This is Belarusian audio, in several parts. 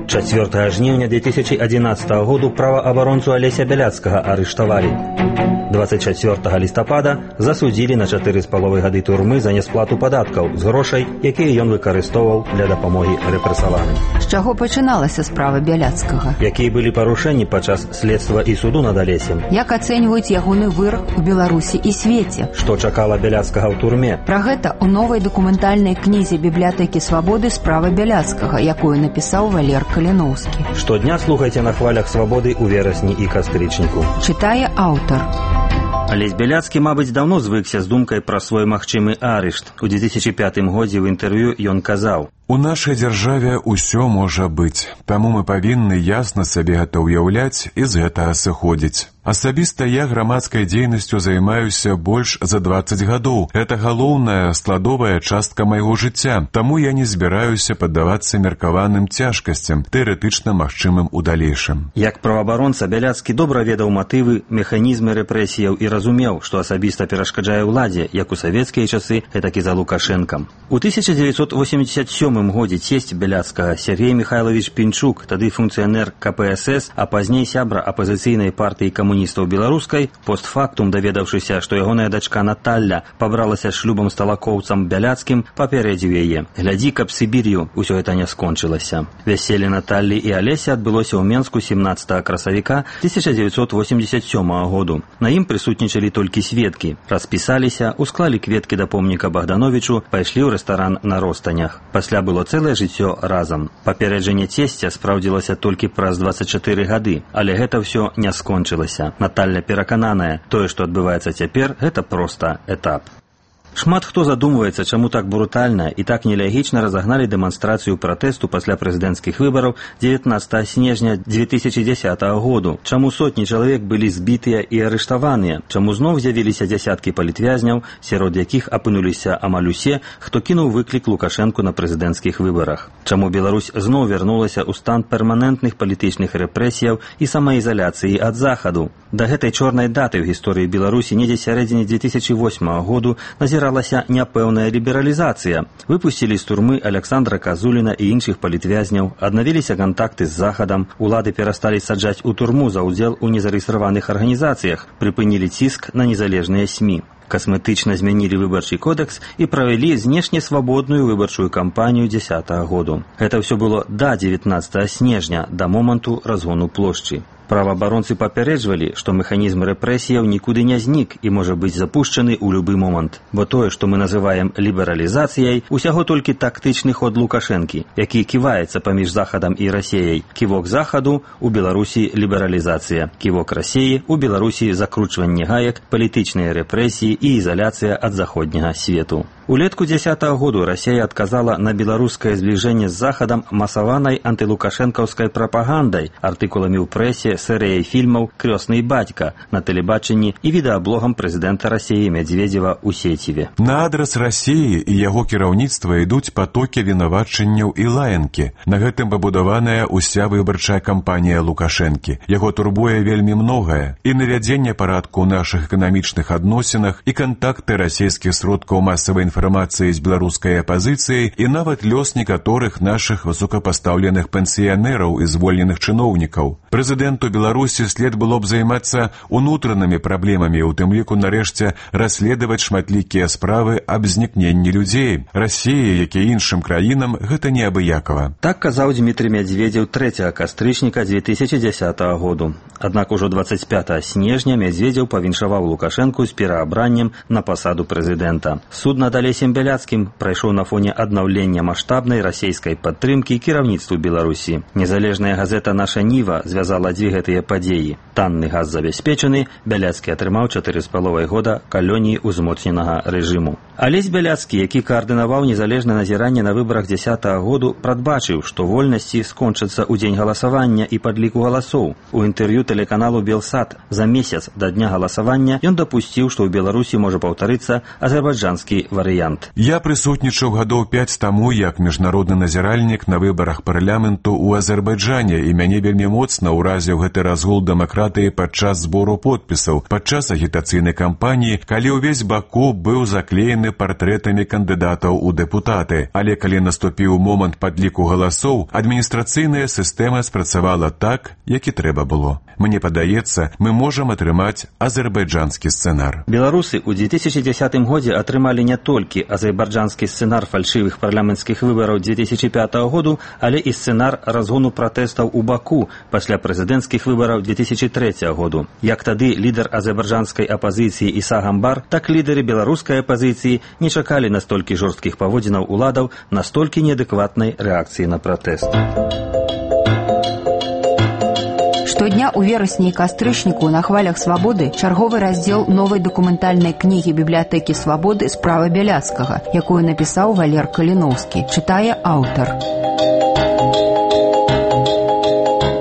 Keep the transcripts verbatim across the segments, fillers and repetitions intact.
чацвёртага жніўня две тысячи одиннадцатого году праваабаронцу Алеся Бяляцкага арыштавалі. двадцать чацвёртага лістапада засудзілі на чатыры з паловай гады турмы за нясплату падаткаў з грошай, якія ён выкарыстоўваў для дапамогі рэпрэсаваным. З чаго пачыналася справа Бяляцкага? Якія былі парушэнні падчас следства і суду над Алесем? Як ацэньваюць ягоны вырак у Беларусі і свеце? Што чакала Бяляцкага ў турме? Пра гэта ў новай дакументальнай кнізе бібліятэкі свабоды справа Бяляцкага, якую напісаў Валер Каліноўскі. Штодня слухайце на хвалях свабоды ў верасні і кастрычніку. Чытае аўтар. Алесь Бяляцкі, мабыць, даўно звыкся з думкай пра свой магчымы арышт. У две тысячи пятым годзе ў інтэрв'ю ён казаў: «У нашай дзяржаве ўсё можа быць, таму мы павінны ясна сабе гэта ўяўляць і з гэтага сыходзіць. Асабіста я грамадскай дзейнасцю займаюся больш за двадцать гадоў. Это галоўная складовая частка майго жыцця, таму я не збіраюся паддавацца меркаваным цяжкасцям, тэарэтычна магчымым у далейшым». Як праваабаронца Бяляцкі добра ведаў матывы, механізмы рэпрэсіяў і разумеў, што асабіста перашкаджае ўладзе, як у савецкія часы, гэтак і за Лукашэнкам. У тысяча дзевяцьсот восемьдесят сёмым годзе цесць Бяляцкага Сергей Михайлович Пінчук, тады функцыянер ка пэ эс эс, а пазней сябра апазіцыйнай партыі камуністаў беларускай, постфактум даведаўшыся, што ягоная дачка Наталля пабралася шлюбам з талакоўцам Бяляцкім, папярэдзіў яе: «Глядзі, каб Сібір'ю усё гэта не скончылася». Вяселле Наталлі і Алеся адбылося ў Менску семнадцатага красавіка тысяча дзевяцьсот восемьдесят сёмага году. На ім прысутнічалі толькі сведкі. Распісаліся, усклалі кветкі да помніка Богдановичу, пайшлі ў рэстаран на Ростанях. Пасля было цэлае жыццё разам. Папярэджанне цесця спраўдзілася толькі праз двадцать чатыры гады, але гэта ўсё не скончылася. Наталля перакананая, тое, што адбываецца цяпер, гэта проста этап. Шмат хто задумваецца, чаму так брутальна і так нелягічна разагналі дэманстрацыю пратэсту пасля прэзідэнцкіх выбараў дзевятнаццатага снежня две тысячи дзесятага году. Чаму сотні чалавек былі збітыя і арыштаваныя? Чаму зноў з'явіліся дзясяткі палітвязняў, сярод якіх апынуліся амаль усе, хто кінуў выклік Лукашэнку на прэзідэнцкіх выбарах? Чаму Беларусь зноў вярнулася ў стан перманентных палітычных рэпрэсіяў і самаізаляцыі ад захаду? Да гэтай чорнай даты ў гісторыі Беларусі недзе сярэдзіне две тысячи восьмага году назіралася няпэўная лібералізацыя. Выпусцілі з турмы Александра Казуліна і іншых палітвязняў, аднавіліся кантакты з захадам, улады перасталі саджаць у турму за ўдзел у незарэестраваных арганізацыях, прыпынілі ціск на незалежныя СМІ. Касметычна змянілі выбарчы кодекс і правялі знешне свабодную выбарчую кампанію дзесятага году. Гэта ўсё было да дзевятнаццатага снежня, да моманту разгону плошчы. Праваабаронцы папярэджвалі, што механізм рэпрэсіяў нікуды не знік і можа быць запушчаны ў любы момант. Бо тое, што мы называем лібералізацыяй, усяго толькі тактычны ход Лукашэнкі, які ківаецца паміж Захадам і Расеяй. Ківок Захаду – у Беларусі лібералізацыя, ківок Расеі – у Беларусі закручванне гаек, палітычныя рэпрэсіі і ізаляцыя ад заходняга свету. Улетку дзесятага году Расея адказала на беларускае збліжэнне з Захадам масаванай антылукашэнкаўскай прапагандай, артыкуламі ў прэсе, серыяй фільмаў «Крёсны бацька» на тэлебачанні і відэаблогам прэзідэнта Расеі Мядзведзева ў сеціве. На адрас Расеі і яго кіраўніцтва ідуць патокі вінавачанняў і лаянкі. На гэтым пабудаваная ўся выбарчая кампанія Лукашэнкі. Яго турбуе вельмі многае. І навядзенне парадку ў нашых эканамічных адносінах, і кантакты расійскіх сродкаў масавай інфармацыі з беларускай апазіцыяй, і нават лёс некаторых нашых высокапастаўленых пенсіянераў і звольненых чыноўнікаў. Прэзідэнту Беларусі след было б займацца унутранымі праблемамі, у тым ліку нарэшце расследаваць шматлікія справы аб знікненні людзей. Расіі, як і іншым краінам, гэта неабыякава. Так казаў Дмітрий Мядзведзеў трэцяга кастрычніка две тысячи дзесятага году. Аднак ужо двадцать пятага снежня Мядзведзеў павіншаваў Лукашэнку з пераабраннем на пасаду прэзідэнта. Суд над Алесем Бяляцкім прайшоў на фоне аднаўлення маштабнай расійскай падтрымкі кіраўніцтву Беларусі. Незалежная газета «Наша Ніва» звязала дзве гэтыя падзеі. Танны газ забяспечаны, Бяляцкі атрымаў чатыры з паловай года калоніі ўзмоцненага рэжыму. Алесь Бяляцкі, які каардынаваў незалежнае назіранне на выбарах дзесятага году, прадбачыў, што вольнасці скончацца ў дзень галасавання і падліку галасоў. У інтэрв'ю тэлеканалу «Белсат» за месяц да дня галасавання ён дапусціў, што ў Беларусі можа паўтарыцца азербайджанскі варыянт. варыянт. Я прысутнічаў гадоў пяць таму як міжнародны назіральнік на выбарах парламенту ў Азербайджане, і мяне вельмі моцна ўразіў гэты разгул дэмакратыі падчас збору подпісаў, падчас агітацыйнай кампаніі, калі ўвесь Баку быў заклеены партрэтамі кандыдатаў у дэпутаты. Але калі наступіў момант падліку галасоў, адміністрацыйная сістэма спрацавала так, як і трэба было. Мне падаецца, мы можам атрымаць азербайджанскі сцэнар. Беларусы ў две тысячи дзесятым годзе атрымалі не толькі азербайджанскі сцэнар фальшывых парламенцкіх выбараў две тысячи пятого году, але і сцэнар разгону пратэстаў у Баку пасля прэзідэнцкіх выбараў две тысячи трэцяга году. Як тады лідар азербайджанскай апазіцыі Іса Гамбар, так лідары беларускай апазіцыі не чакалі настолькі жорсткіх паводзінаў уладаў, настолькі неадэкватнай рэакцыі на пратэст. Штодня ў верасні і кастрычніку на хвалях свабоды чарговы раздзел новай дакументальнай кнігі бібліятэкі свабоды «Справа Бяляцкага», якую напісаў Валер Каліноўскі, чытае аўтар.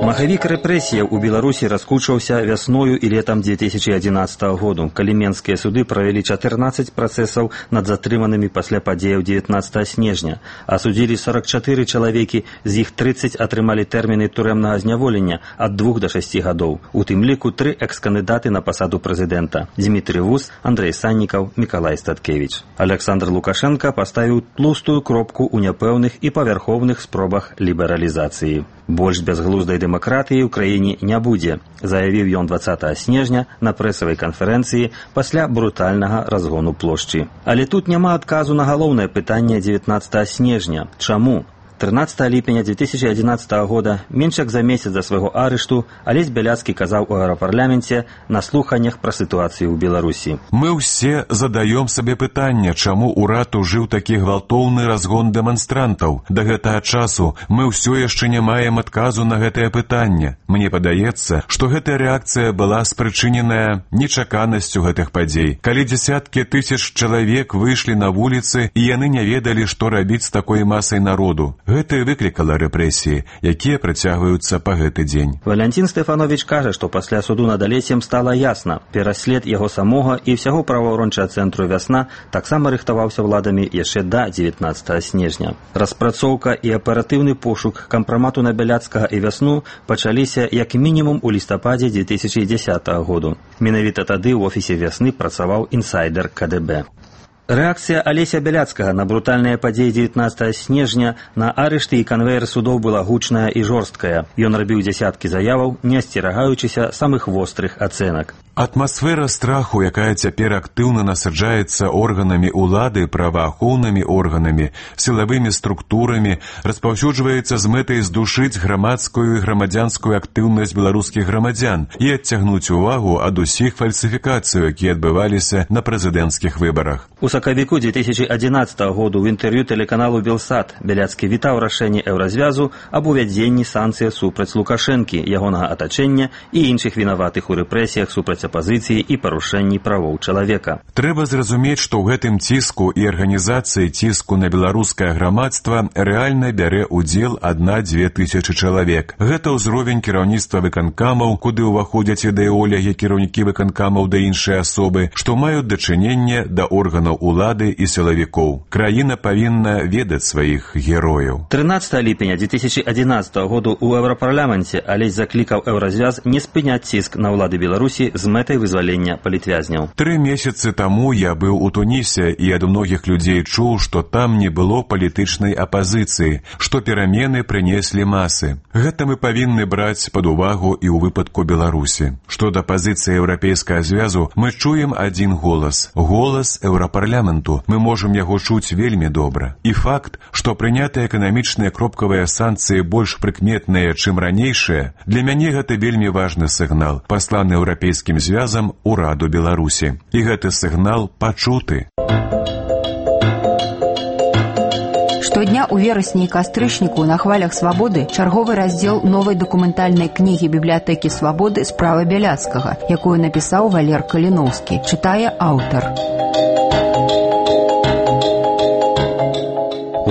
Махавік рэпрэсіяў у Беларусі раскручваўся вясною і летам две тысячи одиннадцатого году, калі менскія суды правялі чатырнаццаць працэсаў над затрыманымі пасля падзеяў дзевятнаццатага снежня, асудзілі сорок чатыры чалавекі, з іх трыццаць атрымалі тэрміны турэмнага зняволення ад двух да шасці гадоў. У тым ліку тры экс-кандыдаты на пасаду прэзідэнта: Дмітрый Вус, Андрэй Саннікаў, Мікалай Статкевіч. Александр Лукашенко паставіў тлустую кропку ў няпэўных і павярхоўных спробах лібералізацыі. Больш бязглуздай дэмакратыі ў краіне не будзе, заявіў ён дваццатага снежня на прэсавай канферэнцыі пасля брутальнага разгону плошчы. Але тут няма адказу на галоўнае пытанне дзевятнаццатага снежня. Чаму? тринадцатого ліпеня две тысячи одиннадцатого года, менш як за месяц да свайго арышту, Алесь Бяляцкі казаў у еўрапарламенце на слуханнях пра сітуацыю ў Беларусі. Мы ўсе задаём сабе пытанне, чаму ўрад ужыў такі гвалтоўны разгон дэманстрантаў. Да гэтага часу мы ўсё яшчэ не маем адказу на гэтае пытанне. Мне падаецца, што гэтая рэакцыя была спрычыненая нечаканасцю гэтых падзей. Калі дзесяткі тысяч чалавек выйшлі на вуліцы, і яны не ведалі, што рабіць з такой масай народу. Гэта выклікала рэпрэсіі, якія працягваюцца па гэты дзень. Валянцін Стэфанович кажа, што пасля суду над Алесем стала ясна. Пераслед яго самога і ўсяго праваабарончага цэнтру «Вясна» таксама рыхтаваўся ўладамі яшчэ да дзевятнаццатага снежня. Распрацоўка і аператыўны пошук кампрамату на Бяляцкага і «Вясну» пачаліся як мінімум у лістападзе две тысячи дзесятого году. Менавіта тады ў офісе «Вясны» працаваў інсайдер ка дэ бэ. Рэакцыя Алеся Бяляцкага на брутальныя падзеі дзевятнаццатага снежня, на арышты і канвейер судоў была гучная і жорсткая. Ён рабіў дзясяткі заяваў, не асцерагаючыся самых вострых ацэнак. Атмасфера страху, якая цяпер актыўна насаджаецца органамі улады, праваахоўнымі органамі, сілавымі структурамі, распаўсюджваецца з мэтай здушыць грамадскую і грамадзянскую актыўнасць беларускіх грамадзян і адцягнуць увагу ад усіх фальсіфікацый, якія адбываліся на прэзідэнцкіх выбарах. У сакавіку две тысячи одиннадцатого году ў інтэрв'ю тэлеканалу «Белсат» Бяляцкі вітаў рашэнне Еўразвязу аб увядзенні санкцый супраць Лукашэнкі, ягонага атачэння і іншых вінаватых у рэпрэсіях супраць апазіцыі і парушэнні правоў чалавека. Трэба зразумець, што ў гэтым ціску і арганізацыі ціску на беларускае грамадства рэальна бярэ ўдзел адна-дзве тысячы чалавек. Гэта ўзровень кіраўніцтва выканкамаў, куды ўваходзяць ідэолягі, кіраўнікі выканкамаў да іншыя асобы, што маюць дачыненне да органаў улады і сілавікоў. Краіна павінна ведаць сваіх герояў. тринадцатого ліпеня две тысячи одиннадцатого году ў еўрапарламенце Алесь заклікаў Еўразвяз не спыняць ціск на ўлады Беларусі з мэтай вызвалення палітвязняў. Тры месяцы таму я быў у Тунісе і ад многіх людзей чуў, што там не было палітычнай апазіцыі, што перамены прынеслі масы. Гэта мы павінны браць пад увагу і ў выпадку Беларусі. Што да пазіцыі Еўрапейскага звязу, мы чуем адзін голас. Голас еўрапарламенту. Мы можам яго чуць вельмі добра. І факт, што прынятыя эканамічныя кропкавыя санкцыі больш прыкметныя, чым ранейшыя, для мяне гэта вельмі важны сігнал, пасланы Еўрапейскім звязам ураду Беларусі. І гэты сігнал пачуты. Штодня ў верасні і кастрычніку на хвалях свабоды чарговы раздзел новай дакументальнай кнігі бібліятэкі свабоды «Справа Бяляцкага», якую напісаў Валер Каліноўскі, чытае аўтар.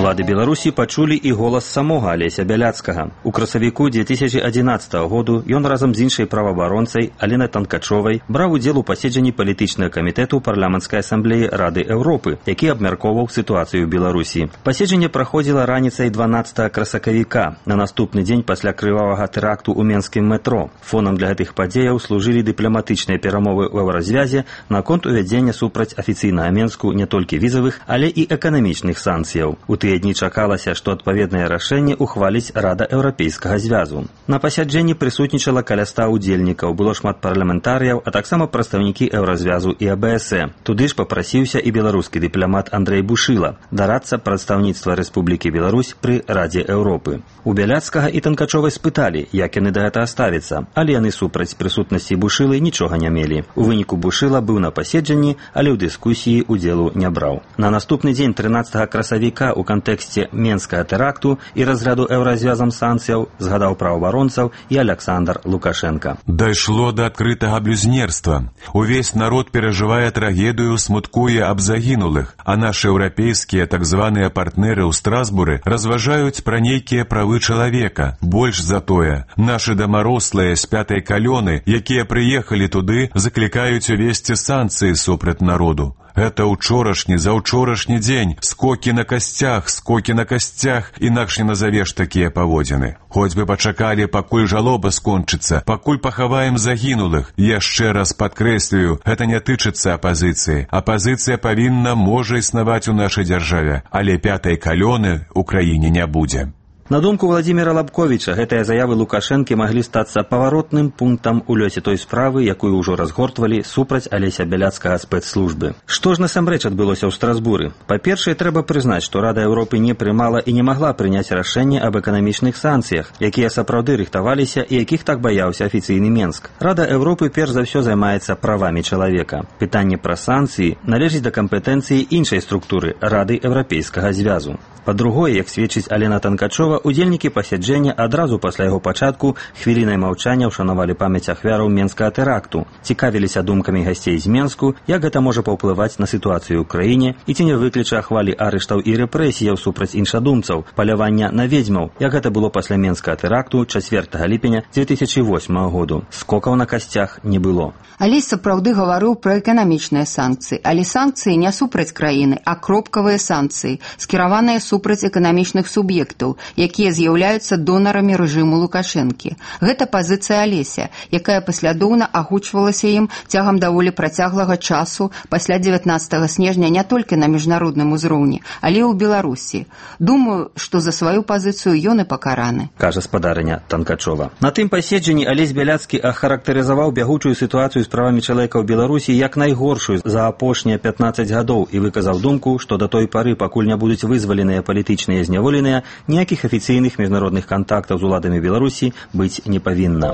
Улады Беларусі пачулі і голас самога Алеся Бяляцкага. У красавіку две тысячи одиннадцатого году ён разам з іншай праваабаронцай Аленай Танкачовай браў удзел у паседжанні палітычнага камітэту парламенцкай асамблеі Рады Еўропы, які абмяркоўваў сітуацыю ў Беларусі. Паседжанне праходзіла раніцай дванаццатага красавіка, на наступны дзень пасля крывавага тэракту ў менскім метро. Фонам для гэтых падзеяў служылі дыпламатычныя перамовы ў еўразвязе наконт увядзення супраць афіцыйнага Менску не толькі візавых, але і эканамічных санкцыяў. У тыя дні чакалася, што адпаведнае рашэнне ухваліць Рада Еўрапейскага звязу. На пасяджэнні прысутнічала каля ста удзельнікаў, было шмат парламентарыяў, а таксама прадстаўнікі еўразвязу і А Бэ Эс Э. Туды ж папрасіўся і беларускі дыпламат Андрэй Бушыла, дарадца прадстаўніцтва Рэспублікі Беларусь пры Радзе Еўропы. У Бяляцкага і Танкачовай спыталі, як яны да гэтага ставяцца, але яны супраць прысутнасці Бушылы нічога не мелі. У выніку Бушыла быў на паседжанні, але ў дыскусіі удзелу не браў. На наступны дзень трынаццатага красавіка у кантэксце менскага тэракту і разряду еўразвязам санкцыяў згадаў праваабаронцаў і Александр Лукашенко. Дайшло да адкрытага блюзнерства. Увесь народ перажывае трагедыю, смуткуе аб загінулых, а нашы еўрапейскія так званыя партнеры ў Страсбуры разважаюць пра нейкія правы чалавека. Больш за тое, нашы дамарослыя з пятай калёны, якія прыехалі туды, заклікаюць увесці санкцыі супраць народу. Гэта ўчорашні, заўчорашні дзень, скокі на касцях, скокі на касцях, інакш не назавеш такія паводзіны. Хоць бы пачакалі, пакуль жалоба скончыцца, пакуль пахаваем загінулых. Яшчэ раз падкрэслюю, гэта не тычыцца апазіцыі. Апазіцыя павінна, можа існаваць у нашай дзяржаве, але пятай калёны ў краіне не будзе. На думку Владзіміра Лабковіча, гэтыя заявы Лукашэнкі маглі стацца паваротным пунктам у лёсе той справы, якую ўжо разгортвалі супраць Алеся Бяляцкага спецслужбы. Што ж насамрэч адбылося ў Страсбуры? Па-першае, трэба прызнаць, што Рада Еўропы не прымала і не магла прыняць рашэнне аб эканамічных санкцыях, якія сапраўды рыхтаваліся і якіх так баяўся афіцыйны Менск. Рада Еўропы перш за ўсё займаецца правамі чалавека. Пытанне пра санкцыі належыць да кампетэнцыі іншай структуры – Рады Еўрапейскага звязу. Па-другое, як сведчыць Алена Танкачова, удзельнікі пасяджэння адразу пасля яго пачатку хвілінай маўчання ўшанавалі памяць ахвяраў менскага тэракту, цікавіліся думкамі гасцей з Менску, як гэта можа паўплываць на сітуацыю ў краіне і ці не выключа ахвалі арыштаў і рэпрэсіяў супраць іншадумцаў, палявання на ведзьмаў, як гэта было пасля менскага тэракту чацвёртага ліпеня две тысячи восьмага году. Скокаў на касцях не было. Алесь сапраўды гаварыў пра эканамічныя санкцыі, але санкцыі не супраць краіны, а кропкавыя санкцыі, скіраваныя супраць эканамічных суб'ектаў, якія з'яўляюцца донарамі рэжыму Лукашэнкі. Гэта пазіцыя Алеся, якая паслядоўна агучвалася ім цягам даволі працяглага часу пасля дзевятнаццатага снежня не толькі на міжнародным узроўні, але і ў Беларусі. Думаю, што за сваю пазіцыю ён і пакараны, кажа спадарыня Танкачова. На тым паседжанні Алесь Бяляцкі ахарактарызаваў бягучую сітуацыю з правамі чалавека ў Беларусі як найгоршую за апошнія пятнаццаць гадоў і выказаў думку, што да той пары, пакуль не будуць вызваленыя палітычныя зняволеныя, ніякіх афіцыйных міжнародных кантактаў з уладамі Беларусі быць не павінна.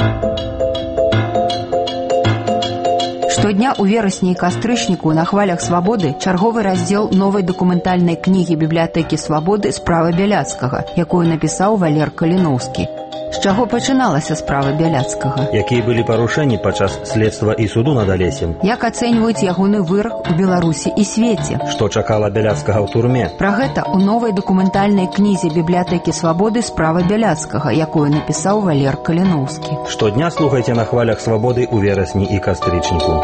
Штодня ў верасні і кастрычніку на хвалях свабоды чарговы раздзел новай дакументальнай кнігі бібліятэкі свабоды «Справа Бяляцкага», якую напісаў Валер Каліноўскі. З чаго пачыналася справа Бяляцкага? Якія былі парушэнні падчас следства і суду над Алесем? Як ацэньваюць ягоны вырак у Беларусі і свеце? Што чакала Бяляцкага ў турме? Пра гэта ў новай дакументальнай кнізе бібліятэкі свабоды «Справа Бяляцкага», якую напісаў Валер Каліноўскі. Штодня слухайце на хвалях свабоды ў верасні і кастрычніку.